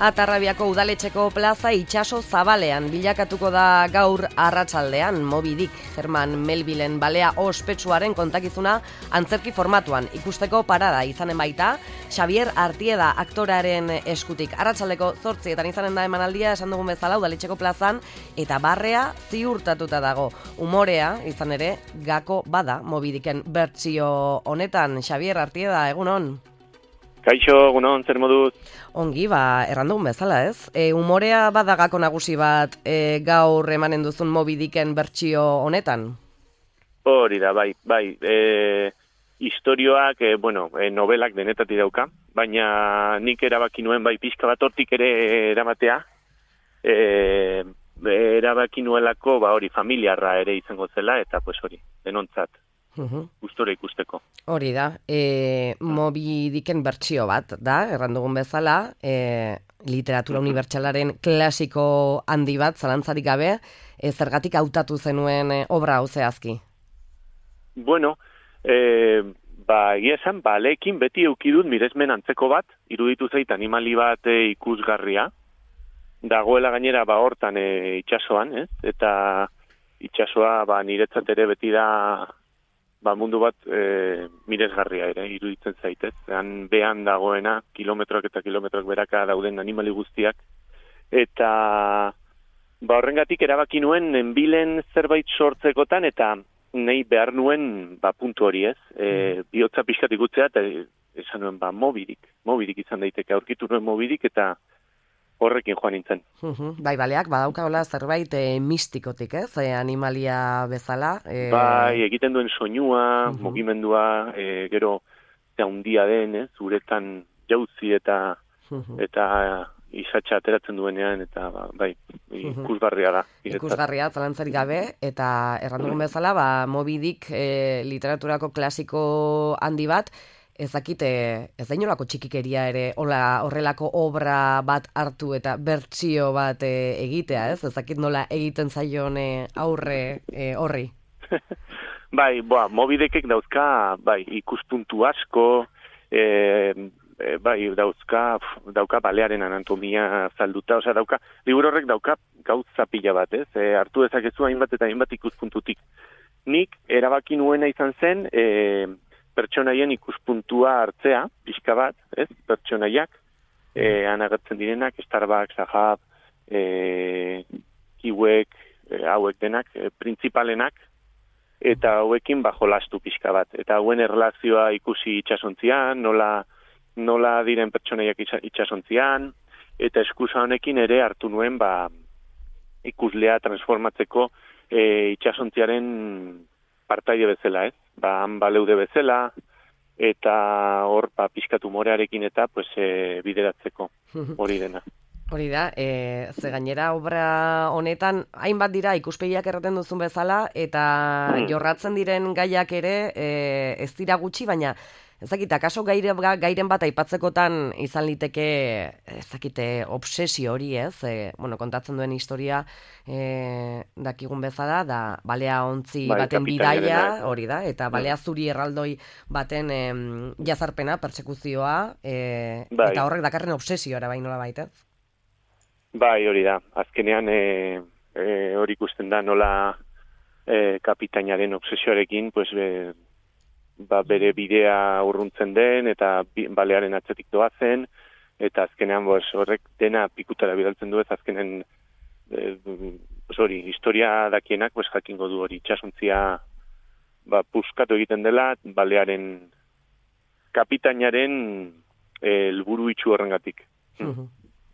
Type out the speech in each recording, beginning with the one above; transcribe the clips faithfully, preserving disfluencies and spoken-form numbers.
Atarrabiako udaletxeko plaza itsaso zabalean bilakatuko da gaur arratsaldean Moby Dick, Herman Melvillen balea ospetsuaren kontakizuna antzerki formatuan ikusteko parada izanen baita, Xavier Artieda aktoraren eskutik. Arratsaldeko zortzietan izanen da emanaldia, esan dugun bezala udaletxeko plazan, eta barrea ziurtatuta dago. Umorea, izan ere, gako bada Moby Dicken bertsio honetan. Xavier Artieda, egunon? Kaixo, egunon, zer moduz? Ongi, ba, errandugun bezala, ez? E, umorea badagako nagusi bat e, gaur emanen duzun Moby Dicken bertsio honetan? Hori da, bai, bai. E, historioak, e, bueno, e, novelak denetatik dauka, baina nik erabaki nuen, bai, pixka bat hortik ere eramatea, e, erabaki nuelako, ba, hori, familiarra ere izango zela, eta, pues, hori, denontzat. Uhum. Gustora ikusteko. Hori da, e, Moby Dicken bertsio bat da, errandugun bezala, e, literatura unibertsalaren klasiko handi bat, zalantzarik gabe, e, zergatik hautatu zenuen e, obra hau zehazki? Bueno, e, ba, egia esan, baleekin beti eukidut miresmen antzeko bat, iruditu zait animali bat e, ikusgarria, dagoela gainera ba hortan e, itsasoan, ez? Eta itsasoa ba, niretzat ere beti da ba, mundu bat e, miresgarria ere, iruditzen zaitez. Han behan dagoena, kilometroak eta kilometroak beraka dauden animali guztiak. Eta ba, horrengatik erabaki nuen nenbilen zerbait sortzekotan, eta nahi behar nuen ba, puntu hori ez. E, bihotza pixkat ikutzea, eta esan nuen ba, Moby Dick. Moby Dick izan daiteke, aurkitu nuen Moby Dick, eta horrekin joan nintzen. Uhum, bai, baleak, badauka hola zerbait e, mistikotik, ez? E, animalia bezala. E... Bai, egiten duen soinua, uhum. Mugimendua, e, gero handia den, ez? Uretan jauzi eta uhum. eta isatxa ateratzen duenean, eta ba, bai, ikusgarria da. Ikusgarria, zalantzarik gabe, eta errandugun bezala, ba, Moby Dick e, literaturako klasiko handi bat, ezakite, ez da inolako txikikeria ere hola, horrelako obra bat hartu eta bertsio bat e, egitea, ez? Ezakit nola egiten zaion e, aurre e, horri? Bai, boa, Moby Dickek dauzka, bai, ikuspuntu asko, e, e, bai, dauzka, dauka balearen anatomia zalduta, osea, dauka, liburu horrek dauka gauza pila bat, ez? E, hartu dezakezu hainbat eta hainbat ikuspuntutik. Nik erabaki nuena izan zen, e, pertsonaien ikuspuntua hartzea, pixka bat, ez, pertsonaiak, e, anagertzen direnak, Starbucks, Ahab, e, kiwek, e, hauek denak, e, printzipalenak, eta hauekin bajo lastu pixka bat. Eta hauen erlazioa ikusi itxasontzian, nola, nola diren pertsonaiak itxasontzian, eta eskusa honekin ere hartu nuen, ba, ikuslea transformatzeko e, itxasontziaren partaide bezala, ez? Ba, han baleude bezala, eta hor, ba, pixkatu morearekin eta, pues, e, bideratzeko hori dena. Hori da, e, ze gainera obra honetan, hainbat dira ikuspegiak erraten duzun bezala, eta hmm. jorratzen diren gaiak ere, e, ez dira gutxi, baina ezakite, akaso gaire, gairen bat aipatzekotan izan liteke, ezakite, obsesio hori, ez? E, bueno, kontatzen duen historia e, dakigun bezala, da balea ontzi bai, baten bidaia, hori da, eta balea zuri erraldoi baten e, jazarpena, pertsekuzioa, e, bai. Eta horrek dakarren obsesioara bai nola baitez? Bai, hori da. Azkenean e, e, hori ikusten da nola e, kapitainaren obsesioarekin, pues, e, ba, bere bidea urruntzen den, eta balearen atzetik doazen, eta azkenean bos, horrek dena pikutara bidaltzen du ez, azkenen e, hori, historia dakienak bos, jakingo du hori, itxasuntzia ba, puskatu egiten dela, balearen kapitainaren helburu e, itxu horrengatik. Uh-huh.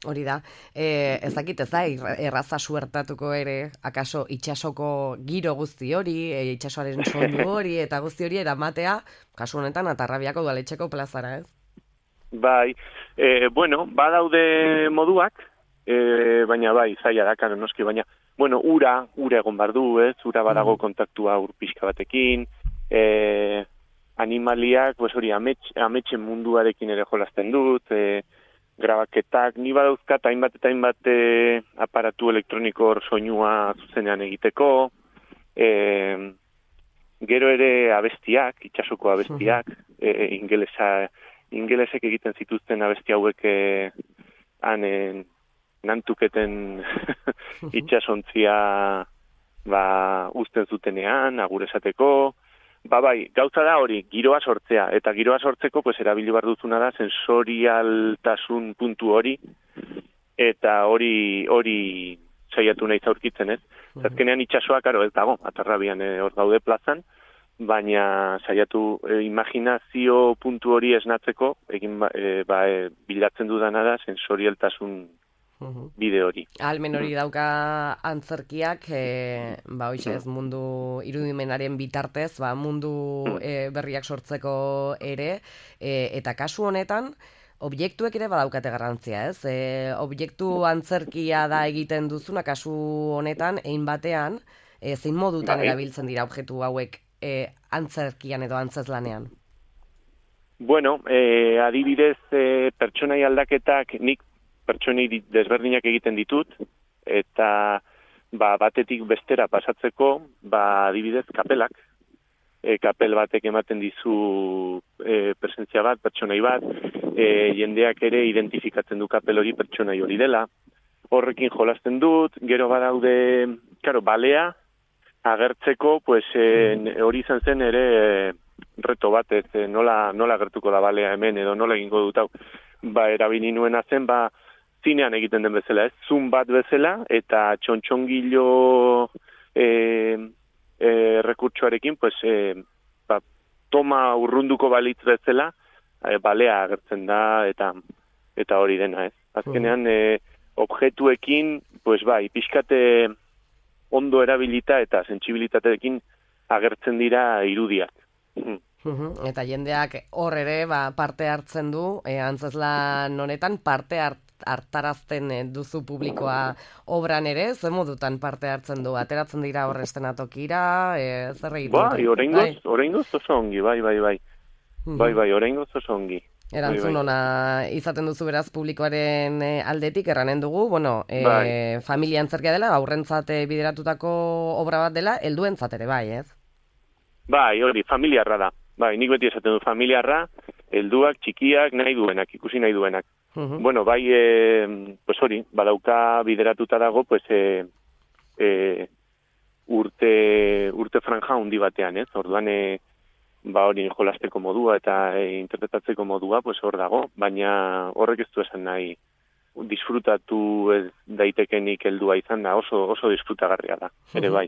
Hori da, e, ez dakit ez da, erraza suertatuko ere, akaso itxasoko giro guzti hori, e, itxasoaren soinu hori, eta guzti hori eramatea, kasu honetan, Atarrabiako udaletxeko plazara, ez? Bai, e, bueno, badaude moduak, e, baina bai, zaila dakar, noski, baina, bueno, ura, ura egon bardu, ez? Ura badago mm. kontaktua ur pixka batekin, e, animaliak, pues hori, amets, ametxen munduarekin ere jolasten dut, e, grabaketak, ni badauzkat hainbat eta hainbat e, aparatu elektroniko hor soinua zuzenean egiteko, e, gero ere abestiak, itxasoko abestiak, e, ingelesa, ingelesek egiten zituzten abesti hauek e, hanen nantuketen itxasontzia ba, uzten zutenean, agur esateko. Ba bai, gauza da hori, giroa sortzea, eta giroa sortzeko pues, erabili behar duzuna da sensorialtasun puntu hori, eta hori hori saiatu nahi zaurkitzen, ez? Uh -huh. Azkenean itxasoa, karo, ez dago, atarrabian hor eh, daude plazan, baina saiatu eh, imaginazio puntu hori esnatzeko, egin ba, eh, ba, eh, bilatzen dudana da sensorialtasun bide hori. Almen hori dauka antzerkiak, e, ba hoize ez mundu irudimenaren bitartez, ba mundu e, berriak sortzeko ere, e, eta kasu honetan objektuek ere badaukate garrantzia, ez? E, objektu antzerkia da egiten duzuna kasu honetan, ein batean, e, zein modutan bai. Erabiltzen dira objektu hauek e, antzerkian edo antzezlanean? Bueno, e, adibidez, e, pertsonai aldaketak nik pertsonei desberdinak egiten ditut, eta ba, batetik bestera pasatzeko, ba, adibidez, kapelak. E, kapel batek ematen dizu e, presentzia bat, pertsonai bat, e, jendeak ere identifikatzen du kapel hori pertsonai hori dela. Horrekin jolasten dut, gero badaude, karo, balea, agertzeko, pues, e, hori izan zen ere e, reto bat, ez, e, nola, nola agertuko da balea hemen, edo nola egingo dut hau. Ba, erabili nuena zen, ba, zinean egiten den bezala, ez? Zoom bat bezala, eta txontxongilo e, e, rekurtsoarekin, pues, e, ba, toma urrunduko balitz bezala, e, balea agertzen da, eta eta hori dena, ez? Azkenean, e, objektuekin, pues, bai, pixkate ondo erabilita eta sentsibilitateekin agertzen dira irudiak. Uhum, eta jendeak hor ere ba, parte hartzen du, e, antzezlan honetan parte hart, hartarazten e, duzu publikoa obran ere, ze modutan parte hartzen du, ateratzen dira hor estenatokira, e, zer egiten dute? Bai, oraingoz, oraingoz oso ongi, bai, bai, bai. Uhum. Bai, bai, oraingoz oso ongi. Erantzun ona izaten duzu beraz publikoaren e, aldetik, erranen dugu, bueno, e, bai. Familia antzerkia dela, aurrentzat bideratutako obra bat dela, helduentzat ere, bai, ez? Bai, hori, familiarra da. Bai, nik beti esaten du familiarra, helduak, txikiak, nahi duenak, ikusi nahi duenak. Uh-huh. Bueno, bai, e, pues hori, badauka bideratuta dago, pues, e, e, urte, urte franja hundi batean, ez? Orduan, e, ba hori jolasteko modua eta e, interpretatzeko modua, pues hor dago, baina horrek ez du esan nahi disfrutatu ez daitekenik heldua izan da, oso, oso disfrutagarria da, ere bai.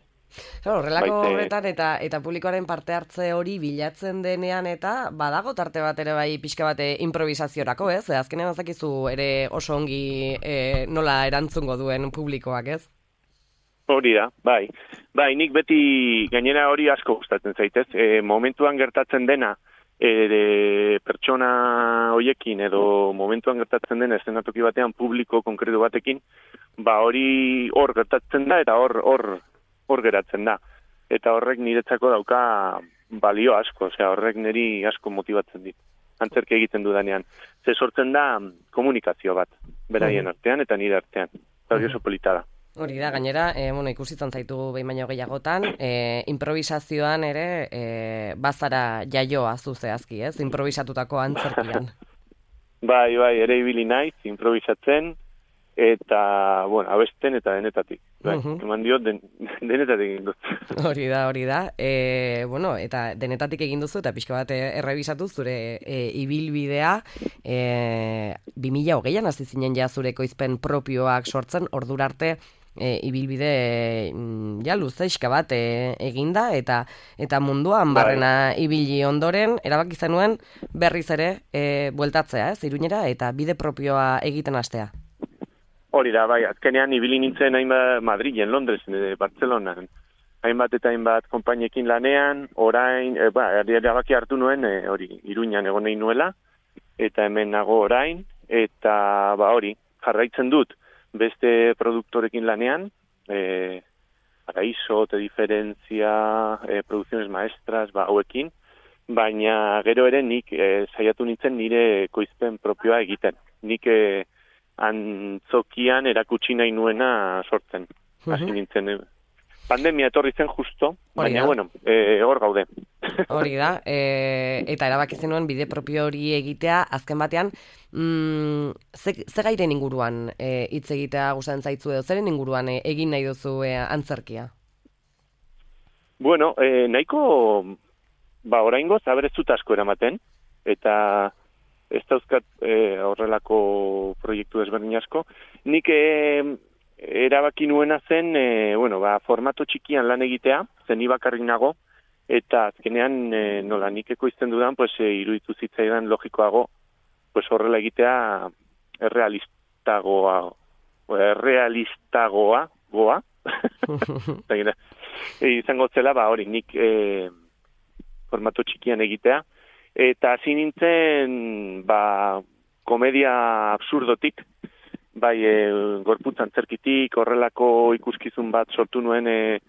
Claro, horrelako horretan eta eta publikoaren parte hartze hori bilatzen denean eta badago tarte bat ere bai pixka bate improvisaziorako, ez? Azkenean ezakizu ere oso ongi e, nola erantzungo duen publikoak, ez? Hori da, bai. Bai, nik beti gainera hori asko gustatzen zaitez. E, momentuan gertatzen dena e, de, pertsona hoiekin edo momentuan gertatzen dena eszenatoki batean publiko konkretu batekin, ba hori hor gertatzen da eta hor hor hor geratzen da. Eta horrek niretzako dauka balio asko, osea, horrek niri asko motibatzen dit. Antzerki egiten dudanean. Ze sortzen da komunikazio bat, beraien artean eta nire artean. Eta hori oso polita da. Hori da, gainera, e, bueno, ikusitzen zaitu behin baino gehiagotan, e, improvisazioan ere e, bazara jaioa zuzehazki, ez? Improvisatutako antzerkian. Bai, bai, ere ibili naiz, improvisatzen, eta, bueno, abesten eta denetatik. Bai, uh-huh. Eman diot, den, denetatik egin dut. Hori da, hori da. E, bueno, eta denetatik egin duzu, eta pixka bat errebisatu zure e, ibilbidea, e, bi mila hogeian hasi zinen ja zure ekoizpen propioak sortzen, ordurarte e, ibilbide ja luzeixka bat e, eginda, eta eta munduan barrena ibili ondoren, erabaki zenuen berriz ere e, bueltatzea, ez, Iruñera, eta bide propioa egiten hastea. Hori da, bai, azkenean ibili nintzen hainbat Madrilen, Londresen, Bartzelonan, hainbat eta hainbat konpainekin lanean, orain, e, ba, erabaki hartu nuen, e, hori, Iruñan egon nahi nuela, eta hemen nago orain, eta ba hori, jarraitzen dut beste produktorekin lanean, e, Paraíso, Te Diferencia, e, Producciones Maestras, ba hauekin, baina gero ere nik e, saiatu nintzen nire ekoizpen propioa egiten. Nik e, antzokian erakutsi nahi nuena sortzen. Hasi nintzen. pandemia etorri zen justo, Hori baina, da. bueno, e, hor gaude. Hori da, e, eta erabaki zenuen bide propio hori egitea, azken batean, mm, ze, ze gairen inguruan e, hitz egitea gustatzen zaitzu edo, zeren inguruan e, egin nahi duzu e, antzerkia? Bueno, e, nahiko, ba, oraingo zaberezut asko eramaten, eta ez dauzkat e, horrelako proiektu desberdin asko. Nik e, erabaki nuena zen, e, bueno, ba, formato txikian lan egitea, zen ni bakarrik nago, eta azkenean e, nola nik ekoizten dudan, pues, e, iruditu zitzaidan logikoago, pues, horrela egitea errealistagoa, errealistagoa, goa, e, izango zela, ba, hori, nik e, formato txikian egitea, eta hasi nintzen, ba, komedia absurdotik, bai, e, gorputz antzerkitik, horrelako ikuskizun bat sortu nuen, e,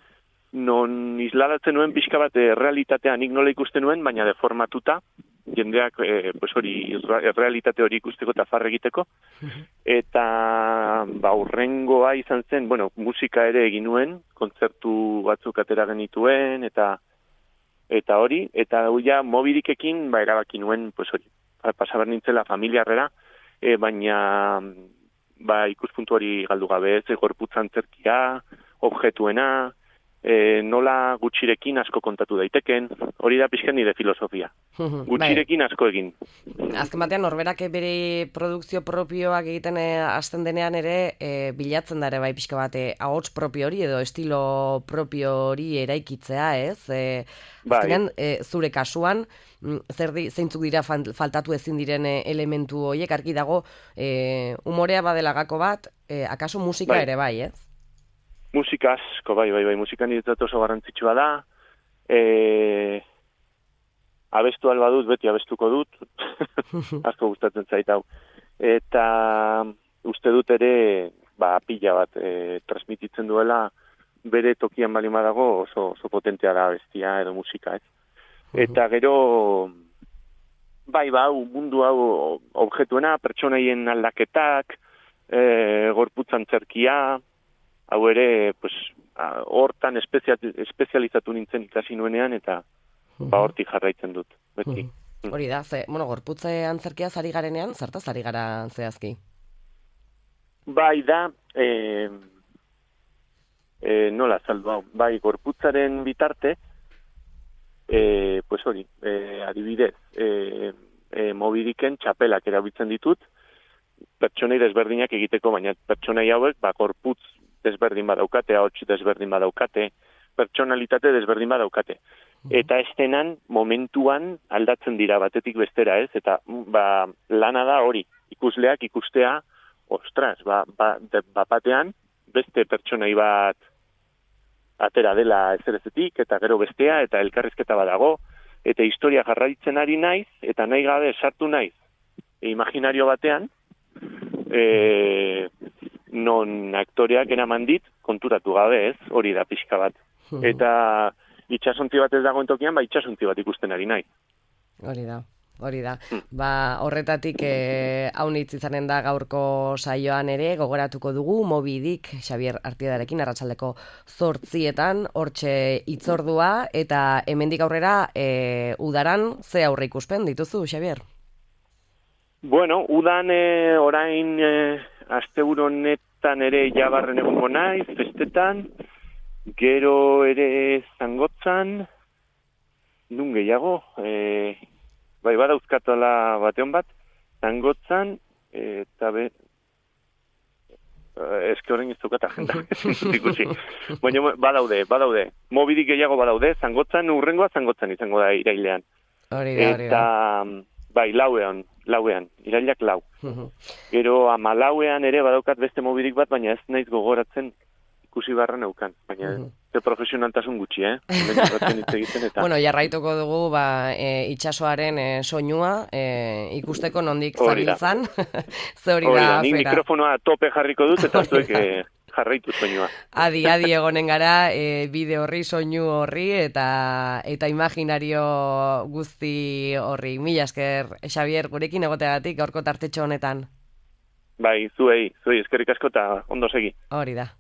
non isladatzen nuen pixka bat e, realitatea nik nola ikusten nuen, baina deformatuta, jendeak, e, pues hori, realitate hori ikusteko eta farre egiteko, eta ba, urrengoa izan zen, bueno, musika ere egin nuen, kontzertu batzuk atera genituen, eta eta hori, eta ja mobilikekin, ba, erabaki nuen, pues hori, pasabar nintzela familiarrera, e, baina ba, ikuspuntu hori galdu gabe, ez, gorputz antzerkia, objetuena, e, nola gutxirekin asko kontatu daiteken, hori da pixken nire filosofia. Gutxirekin asko egin. Azken batean, norberak bere produkzio propioak egiten e, hasten denean ere, e, bilatzen da ere bai pixka bate ahots propio hori edo estilo propio hori eraikitzea, ez? E, azkenean, e, zure kasuan, zer di, zeintzuk dira faltatu ezin diren elementu horiek, argi dago, e, umorea badela gako bat, e, akaso musika bai. Ere bai, ez? Musika asko, bai, bai, bai, musika niretzat oso garrantzitsua da, e, abestu alba dut, beti abestuko dut, asko gustatzen zait hau. Eta uste dut ere, ba, pila bat, e, transmititzen duela, bere tokian bali madago oso, oso potentea da abestia edo musika, ez? Eta gero, bai, ba, mundu hau objetuena, pertsonaien aldaketak, e, gorputzan zerkia, hau ere, pues, hortan espezializatu nintzen ikasi nuenean, eta ba, hortik jarraitzen dut, beti. Hori da, ze, bueno, gorputze antzerkia zari garenean, zertaz zari gara zehazki? Bai da, e, e, nola saldu hau, bai, gorputzaren bitarte, e, pues hori, e, adibidez, e, e, mobidiken txapelak erabiltzen ditut, pertsonei desberdinak egiteko, baina pertsonei hauek, ba, gorputz desberdin badaukate, ahots desberdin badaukate, pertsonalitate desberdin badaukate. Eta estenan, momentuan aldatzen dira batetik bestera, ez? Eta ba, lana da hori, ikusleak ikustea, ostras, ba, ba, de, bapatean, beste pertsonai bat atera dela ezerezetik, eta gero bestea, eta elkarrizketa badago, eta historia jarraitzen ari naiz, eta nahi gabe sartu naiz, e, imaginario batean, e, non aktoreak eraman dit, konturatu gabe, ez, hori da pixka bat. Eta itxasuntzi bat ez dagoen tokian, ba itxasuntzi bat ikusten ari nahi. Hori da, hori da. Ba, horretatik eh, haunitz izanen da gaurko saioan ere, gogoratuko dugu, Moby Dick, Xabier Artiadarekin, arratsaldeko zortzietan, hortxe itzordua, eta hemendik aurrera, eh, udaran, ze aurre ikuspen dituzu, Xabier? Bueno, udan eh, orain... Eh, asteburu honetan ere jabarren egongo naiz, festetan, gero ere zangotzan, nun gehiago, e, bai badauzkatola batean bat, zangotzan, eta be, eske horren iztukat agenda, ikusi. Baina badaude, badaude, mobidik gehiago badaude, zangotzan, urrengoa zangotzan izango da irailean. Hori da, hori da. Eta, bai, lauean, lauean, irailak lau. Gero amalauean ere badaukat beste mobidik bat, baina ez naiz gogoratzen ikusi barra neukan. Baina ze profesionaltasun gutxi, eh? Eta... Bueno, jarraituko dugu ba, e, itxasoaren e, soinua e, ikusteko nondik zabiltzan. Ze hori da, ni mikrofonoa tope jarriko dut eta zuek e, jarraitu soinua. Adi, adi egonen gara, e, bide horri, soinu horri, eta eta imaginario guzti horri. Mila esker, Xabier, gurekin egoteagatik gaurko tartetxo honetan. Bai, zuei, zuei eskerrik asko eta ondo segi. Hori da.